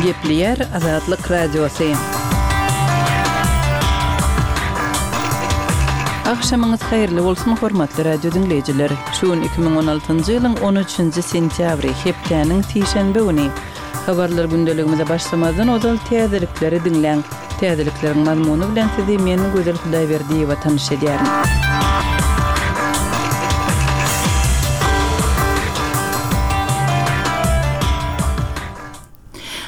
Gepleýär Azatlyk Radiosy. Agşamyňyz haýyrly bolsun, hormatly radio diňleýjiler! Şu gün 2016-njy ýylyň 13-nji sentýabry, hepdäniň sişenbe güni. Habarlar gündeligimize başlamazdan ozal täzelikleri diňläň. Täzelikleriň mazmuny bilen sizi men Gözel Hudaýberdiýewa tanyş edýärin.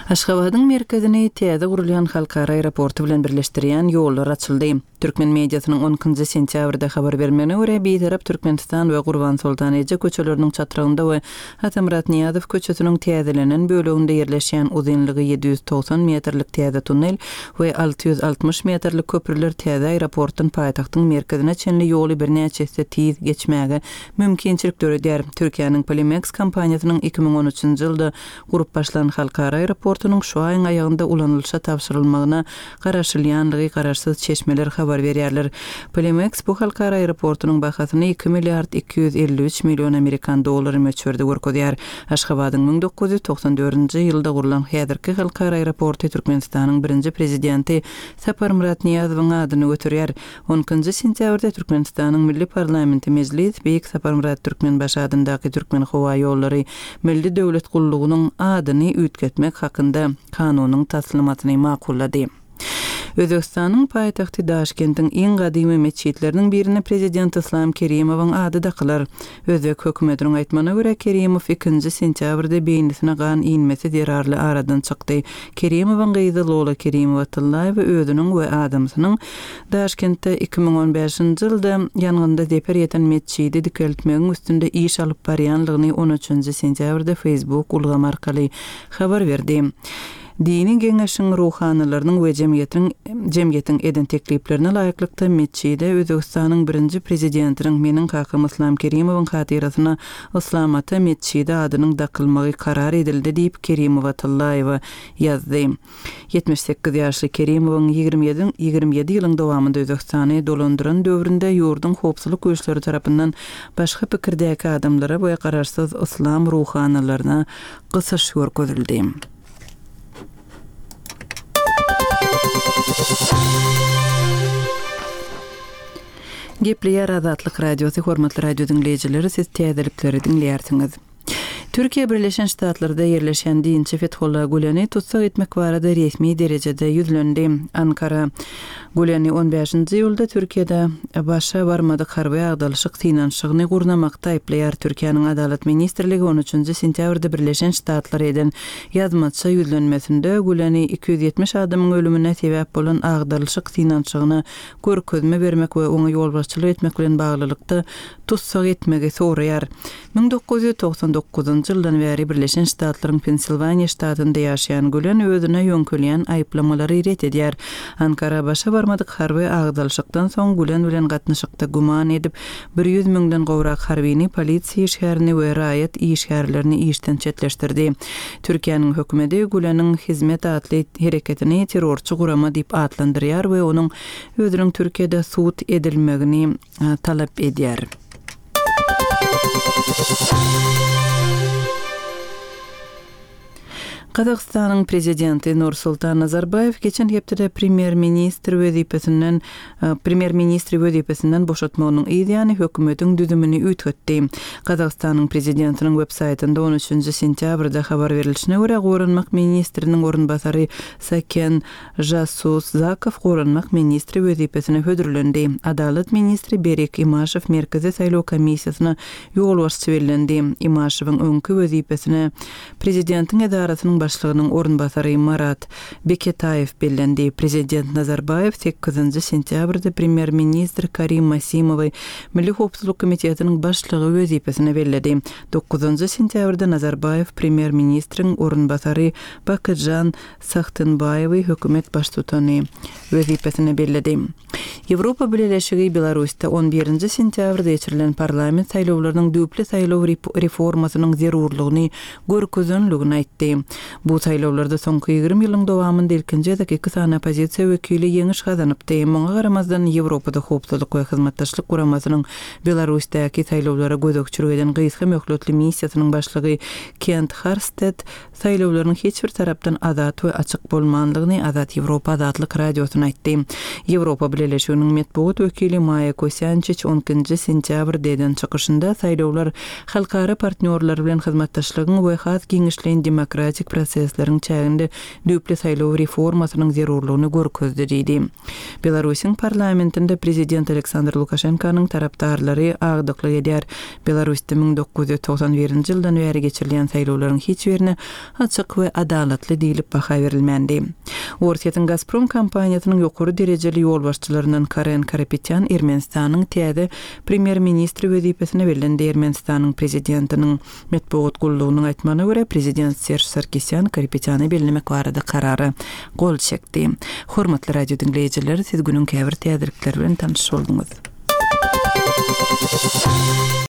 Aşgabadyň merkezini täze gurulýan halkara aeroporty bilen birleşdirýän ýollar açyldy. Türkmen mediasynyň on ikinji sentýabrda habar bermegine görä, Bitarap Türkmenistan we Gurbansoltan eje köçeleriniň çatrygynda we Atamyrat Nyýazow köçesiniň täzelenen böleginde ýerleşýän uzynlygy 790 metrlik täze tunnel we 660 metrlik köprüler täze aeroportdan paýtagtyň merkezine çenli ýoly birnäçe esse tiz geçmäge mümkinçilik döredýär. Türkiýäniň Polimeks kompaniýasynyň 2013-nji ýylda gurup başlan halkara aeroportunyň şu aýyň aýagynda ulanylyşa tabşyrylmagyna garaşylýanlygy garaşsyz çeşmeler habar berýärler. Polimeks bu halkara aeroportunyň bahasyny iki milliard 253 million amerikan dollary möçberde görkezýär. Aşgabadyň 1994-nji ýylda gurlan häzirki halkara aeroporty Türkmenistanyň birinji Prezidenti Saparmyrat Nyýazowyň adyny göterýär. On ikinji sentýabrda Türkmenistanyň Milli parlamenti Mejlis Beýik Saparmyrat Türkmenbaşy adyndaky Türkmenhowaýollary Milli döwlet gullugynyň adyny üýtgetmek hakynda Kanunyň taslamasyny makullady. Özbegistanyň paýtagty Daşkentiň iň gadymy metjitleriniň birine prezident Yslam Kerimowyň ady dakylar. Özbek hökümetiniň aýtmagyna görä, Kerimow ikinji sentýabrda beýnisine gan inmesi zerarly aradan çykdy. Kerimowyň gyzy Lola Kerimowa-Tyllaýewa özüniň we adamsynyň Daşkentde 2015-nji ýylda ýangynda zeper ýeten metjidi dikeltmegiň üstünde iş alyp barýanlygyny on üçünji sentýabrda Facebook ulgamy arkaly habar berdi. Dini geňeşiň ruhanylarynyň we jemgyýetiň jemgyýetiň eden tekliplerine laýyklykda metjide Özbegistanyň birinji prezidentiniň meniň kakam Yslam Kerimowyň hatyrasyna Yslam ata metjidi adynyň dakylmagy karar edildi diýip Kerimowa Tyllaýewa ýazdy. 78 ýaşly Kerimowyň 27 27 ýylyň dowamynda Özbegistany dolandyran döwründe ýurduň howpsuzlyk güýçleri tarapyndan başga pikirdäki adamlara we garaşsyz yslam ruhanylaryna gysyş görkezildi. Gepleýär Azatlyk Radiosy, hormatly radio diňleýjileri, siz täzelikleri diňleýärsiňiz. Türkiýe Birleşen Ştatlarda ýerleşen dinçi Fethullah Güleni tussag etmek barada resmi derejede ýüzlendi. Ankara Güleni on bäşinji iýulda Türkiýede başa barmadyk harby agdalyşyk synanyşygyny gurnamakda aýyplaýar. Türkiýäniň Adalat ministrligi on üçünji sentýabrda Birleşen Ştatlara eden ýazmaça ýüzlenmesinde Güleni 270 adamyň ölümine sebäp bolan agdarylyşyk synanyşygyna görkezme bermek we oňa ýolbaşçylyk etmek bilen baglylykda tussag etmegi soraýar. 1999-njy ýyldan bäri Birleşen Ştatlaryň Pensilwaniýa ştatynda ýaşaýan Gülen özüne ýöňkelýän aýyplamalary ret edýär. Ankara başa barmadyk harby agdalyşykdan soň Gülen bilen gatnaşykda güman edip, 100 müňden gowrak harbyny, polisiýa işgärini we raýat işgärlerini işden çetleşdirdi. Türkiýäniň hökümeti Güleniň Hizmet atly hereketini terrorçy gurama diýip atlandyrýar we onuň özüniň Türkiýede sud edilmegini talap edýär. Gazagystanyň prezidenti Nursultan Nazarbaýew geçen hepdede premýer-ministr wezipesinden premýer-ministri wezipesinden boşatmagynyň yz ýany hökümetiň düzümini üýtgetdi. Gazagystanyň prezidentiniň web-saýtynda on üçünji sentýabrda habar berilişine görä, goranmak ministriniň orunbasary Saken Žasuzakow goranmak ministri wezipesine hödürlendi. Adalat ministri Berik Imaşew Merkezi saýlaw komissiýasyna ýolbaşçy bellendi. Imaşewiň öňki wezipesine prezidentiň edarasynyň başlygynyň orunbasary Marat Beketaýew bellendi. Prezident Nazarbaýew sekizinji sentýabrda premýer-ministr Karim Masimowy Milli howpsuzlyk komitetiniň başlygy wezipesine belledi. Dokuzynjy sentýabrda Nazarbaýew premýer-ministriň orunbasary Bakytžan Sahtenbaýewi hökümet baştutany wezipesine belledi. Ýewropa Bileleşigi Belarusda on birinji sentýabrda geçirilen parlament saýlawlarynyň düýpli saýlaw reformasynyň zerurlygyny görkezenligini aýtdy. Bu saýlawlarda soňky 20 ýylyň dowamynda ilkinji gezek iki sany oppozisiýa wekili ýeňiş gazanypdy. Muňa garamazdan, Ýewropada Howpsuzlyk we Hyzmatdaşlyk Guramasynyň Belarusdaky saýlawlara gözegçilik eden gysga möhletli missiýasynyň başlygy Kent Harstedt saýlawlaryň hiç bir tarapdan azat we açyk bolmandygyny Azat Ýewropa Azatlyk Radiosyna aýtdy. Ýewropa Bileleşiginiň metbugat wekili Maýa Kosýançiç on ikinji sentýabrda eden çykyşynda saýlawlar halkara partnýorlar bilen hyzmatdaşlygyň we has giňişleýin demokratik prosesleriň çäginde düýpli saýlaw reformasynyň zerurlygyny görkezdi diýdi. Belarusyň parlamentinde prezident Aleksandr Lukaşenkanyň tarapdarlary agdyklyk edýär. Belarusda 1991-nji ýyldan bäri geçirilýän saýlawlaryň hiç birine açyk we adalatly diýlip baha berilmändi. Orsýetiň Gazprom kompaniýasynyň ýokary derejeli ýolbaşçylaryndan Karen Karapetýan Ermenistanyň täze premýer-ministri wezipesine bellendi. Ermenistanyň prezidentiniň Metbugat gullugynyň aýtmagyna görä, prezident Serž Sarkisýan Karapetýany bellemek barada karara gol çekdi. Hormatly radio diňleýjiler, siz günüň käbir täzelikleri bilen tanyş bolduňyz.